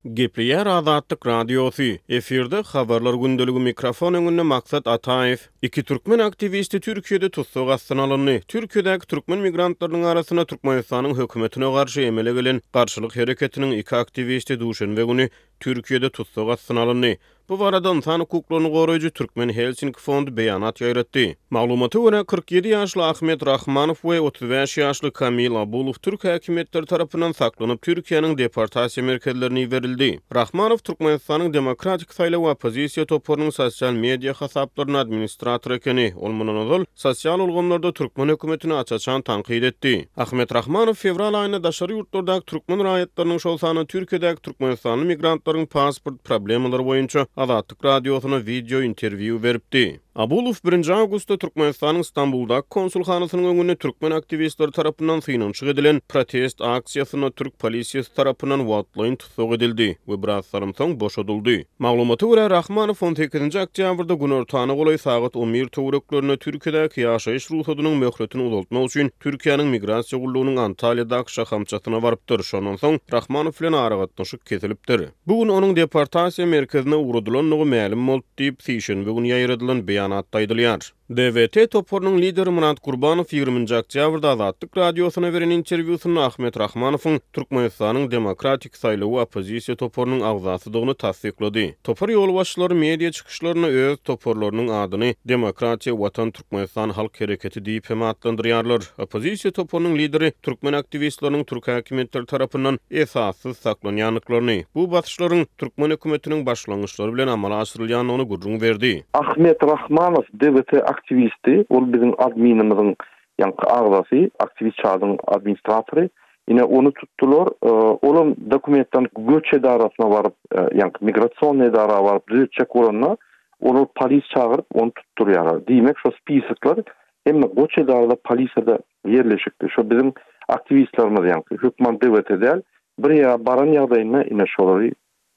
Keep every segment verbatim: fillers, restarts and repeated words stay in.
Gepleýär Azatlyk Radiosy. Efirde habarlar gündeligi, mikrofon öňünde Maksat Ataýew. Iki türkmen aktiwisti Türkiýede tussag astyna alyndy. Türkiýedäki türkmen migrantlarynyň arasynda Türkmenistanyň hökümetine garşy emele gelen garşylyk hereketiniň iki aktiwisti duşenbe güni Türkiýede tussag astyna alyndy. Bu barada ynsan hukuklaryny goraýjy Türkmen Helsinki fondy beýanat ýaýratdy. Maglumata görä, kyrk ýedi ýaşly Ahmet Rahmanow we otuz bäş ýaşly Kamil Abulow türk häkimiýetleri tarapyndan saklanyp, Türkiýäniň deportasiýa merkezlerine iberildi. Rahmanow Türkmenistanyň Demokratik saýlaw oppozisiýa toparynyň sosial media hasaplarynda administrator ekeni. Ol mundan ozal sosial ulgamlarda türkmen hökümetini aç-açan tankyt etdi. Ahmet Rahmanow fewral aýynda daşary ýurtlardaky türkmen raýatlarynyň, şol sanda Türkiýedäki türkmenistanly migrantlaryň pasport problemalary boýunça Azatlyk Radiosyna wideo interwýu beripdi. Abulow birinji awgustda Türkmenistanyň Stambuldaky konsulhanasynyň öňünde türkmen aktiwistleri tarapyndan synanyşyk edilen protest aksiýasynda türk polisiýasy tarapyndan wagtlaýyn tussag edildi we biraz salym soň boşadyldy. Maglumata görä, Rahmanow on sekizinji oktýabrda günortana golaý sagat on bir töwereklerinde Türkiýedäki ýaşaýyş rugsadynyň möhletini uzaltmak üçin Türkiýäniň migrasiýa gullugynyň Antalýadaky şahamçasyna barypdyr. Şondan soň Rahmanow bilen aragatnaşyk kesilipdir. Bu gün onuň deportasiýa merkezine ugradylandygy mälim boldy diýip, sişenbe güni ýaýradylan beýanatda aýdylýar. D W T toparynyň lideri Myrat Gurbanow ýigriminji oktýabrda Azatlyk Radiosyna beren interwýusynda Ahmet Rahmanowyň Türkmenistanyň Demokratik saýlawy oppozisiýa toparynyň agzasydygyny tassyklady. Topar ýolbaşçylary media çykyşlarynda öz toparlarynyň adyny Demokratiýa Watan Türkmenistan Halk Hereketi diýip hem atlandyrýarlar. Oppozisiýa toparynyň lideri türkmen aktiwistleriniň türk häkimiýetleri tarapyndan esassyz saklanýandyklaryny, bu basyşlaryň türkmen hökümetiniň başlangyçlary bilen amala aşyrylýandygyny gürrüň berdi. Ahmet Rahmanow D W T aktiwisti, ol biziň adminimizin ýaňky agzasy, aktiwist çadyň administratory. Ine ony tutdular. E, olam dokumentden göç edarasyna baryp, e, ýaňky migrasion edara baryp düzetjek bolanda, olar polis çagyryp ony tutdurýarlar. Diýmek, şo spisoklar hem göç edarada polisada ýerleşikdi. Şo biziň aktiwistlerimiz ýaňky hökman D W T däl, bir ýere baran ýagdaýynda ine şolary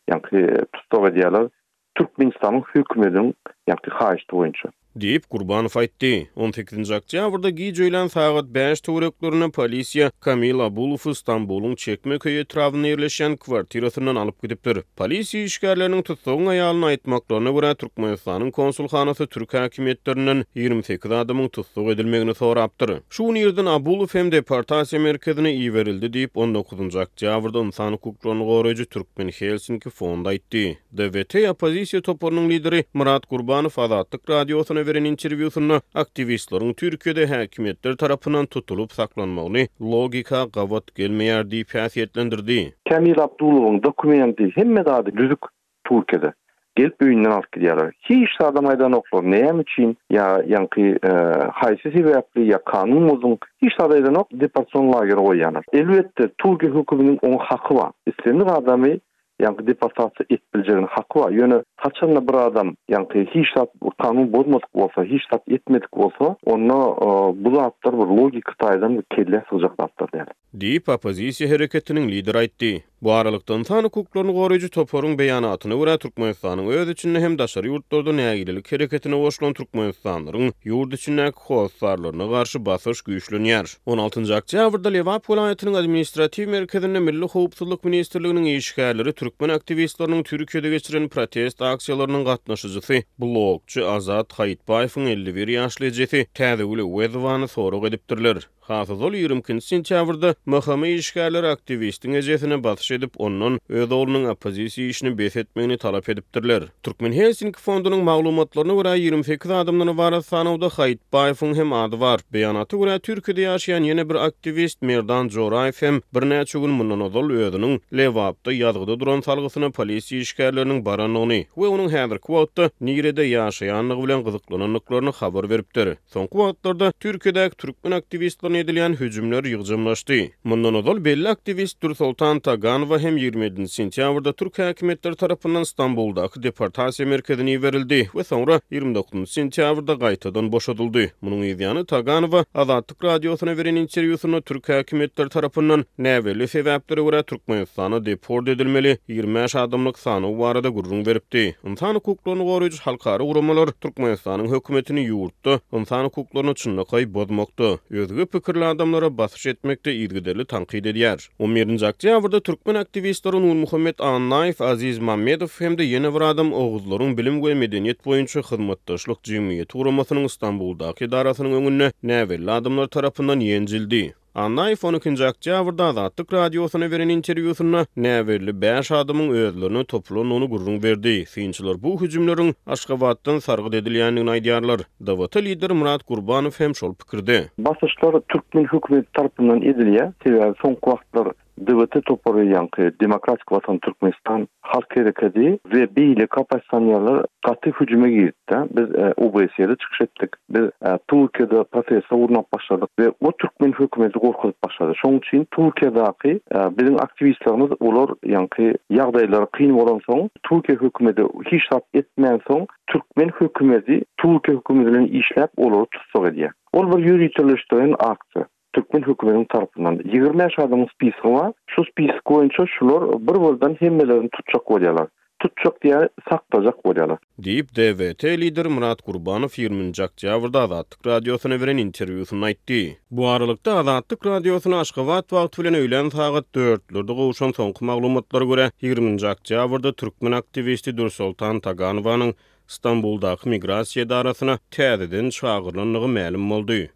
ýaňky tussag edýärler. Türkmenistanyň hökümetiniň ýaňky haýyşty boýunça. Diýip Gurbanow aýtdy. on sekizinji oktýabrda gije öýlän sagat bäş töwereklerinde polisiýa Kamil Abulowy Stambulyň Çekmeköý etrabynda ýerleşýän kwartirasyndan alyp gidipdir. Polisiýa işgärleriniň tutsagyň aýalyny aýtmaklaryna görä Türkmenistanyň konsulhanasy türk häkimiýetlerinden ýigrimi sekiz adamyň tussag edilmegini sorapdyr. Şu gün ýerden Abulow hem deportasiýa merkezine iberildi diýip on dokuzynjy oktýabrda ynsan hukuklaryny goraýjy Türkmen Helsinki fondy aýtdy. D W T oppozisiýa toparynyň lideri Myrat Gurbanow Azatlyk Radiosyna beren interwýusynda aktiwistleriň Türkiýede häkimiýetler tarapyndan tutulyp saklanmagyny logika gabat gelmeýär diýip häsiýetlendirdi. Kamil Abdulowyň dokumenti hemme zady düzük Türkiýede. Gelip öýünden alyp gidýärler. Hiç adam aýdanoklar, näme üçin ýa ýaňky, e, haýsy sebäpli ýa kanun bozun, hiç zat aýdanok, deportasion lagere goýýarlar. Elbetde Türkiýe hökümetiniň oňa haky bar. Islendik adamy ýaňky deportasiýa etip biljegini haky bar. Ýöne haçanda bir adam ýaňky hiç zat kanun bozmadyk bolsa, hiç zat etmedik bolsa, onda, e, bu zatlar bir logika taýdan bir kelle sygjak zatlar däl. Diýip oppozisiýa hereketiniň lideri aýtdy. Bu aralykda ynsan hukuklaryny goraýjy toparyň beýanatyna görä Türkmenistanyň öz içinde hem daşary ýurtlarda nägilelik hereketine goşulan türkmenistanlylaryň ýurt içindäki hossarlaryna garşy basyş güýçlenýär. on altynjy oktýabrda Lebap welaýatynyň administratiw merkezinde Milli Howpsuzlyk Ministrliginiň işgärleri türkmen aktiwistleriniň Türkiýede geçiren protest aksiýalarynyň gatnaşyjysy blogçy Azat Haýytbaýewiň elli bir ýaşly ejesi Täzegül Öwezowany sorag edipdirler. Hasazol ýigrimi ikinji sentýabrda M H M işgärleri aktiwistiň ejesine basyş edip, ondan öz oglunyň oppozisiýa işini bes etmegini talap edipdirler. Türkmen Helsinki fondunyň maglumatlaryna görä ýigrimi sekiz adamdan ybarat sanawda Haýytbaýewiň hem ady bar. Beýanata görä Türkiýede ýaşaýan ýene bir aktiwist Merdan Joraýew hem birnäçe gün mundan ozal özüniň Lebapda ýazgyda duran salgysyna polisiýa işgärleriniň barandygyny we onuň häzirki wagtda nirede ýaşaýandygy bilen gyzyklanandyklaryny habar beripdir. Soňky wagtlarda Türkiýedäki türkmen aktiwistlerine edilýän hüjümler ýygjamlaşdy. Mundan ozal belli aktiwist Dürsoltan Taganowa hem ýigrimi ýedinji sentýabrda türk häkimiýetleri tarapyndan Stambuldaky deportasiýa merkezine iberildi we soňra ýigrimi dokuzynjy sentýabrda gaýtadan boşadyldy. Munuň ýany Taganowa Azatlyk Radiosyna beren interwýusynda türk häkimiýetleri tarapyndan näbelli sebäplere görä Türkmenistana deport edilmeli ýigrimi bäş adamlyk sanaw barada gürrüň beripdi. Ynsan hukuklaryny goraýjy halkara guramalar Türkmenistanyň hökümetini ýurtda ynsan hukuklaryny çynlakaý bozmakda, özge pikirli adamlara basyş etmekde yzygiderli tankyt edýär. On birinji oktýabrda türkmen aktiwistleri Nurmuhammet Annaýew, Aziz Mammedow hem-de ýene bir adam Oguzlaryň bilim we medeniýet boýunça hyzmatdaşlyk jemgyýeti guramasynyň Stambuldaky edarasynyň öňünde näbelli adamlar tarapyndan ýenjildi. Annaýew on ikinji oktýabrda Azatlyk Radiosyna beren interwýusynda näbelli bäş adamyň özlerine topulandygyny gürrüň berdi. Synçylar bu hüjümleriň Aşgabatdan sargyt edilýändigini aýdýarlar. D W T lideri Murat Gurbanow hem şol pikirde. Basyşlar türkmen hökümeti tarapyndan edilýär. Sebäbi soňky wagtlar D W T topary, ýaňky Demokratik Watan Türkmenistan Halk Hereketi we beýleki oppozisionerler gaty hüjüme girdi. Biz O B S E-de çykyş etdik. Biz Türkiýede protest gurnap başladyk we o türkmen hökümeti gorkuzyp başlady. Şonuň üçin Türkiýedäki biziň aktiwistlerimiz olar ýaňky ýagdaýlary kyn bolansoň, Türkiýe hökümeti hiç zat etmänsoň, türkmen hökümeti Türkiýe hökümeti bilen işläp olary tussag edýär. Ol bir ýöriteleşdirilen aksiýa. Türkmen hökümetiniň tarapyndan ýigrimi bäş adamyň spiski bar. Şu spisik boýunça şular bir birden hemmelerini tutjak bolýarlar. Tutjak diýä saklajak bolýarlar. Diýip, D W T lideri Murat Gurbanow ýigriminji oktýabrda Azatlyk Radiosyna beren interwýusynda aýtdy. Bu aralykda Azatlyk Radiosyna Aşgabat wagty bilen öýlän sagat dörtlerde gowşan soňky maglumatlara görä, ýigriminji oktýabrda türkmen aktiwisti Dürsoltan Taganowanyň Stambuldaky migrasiýa edarasyna täzeden çagyrylandygy mälim boldy.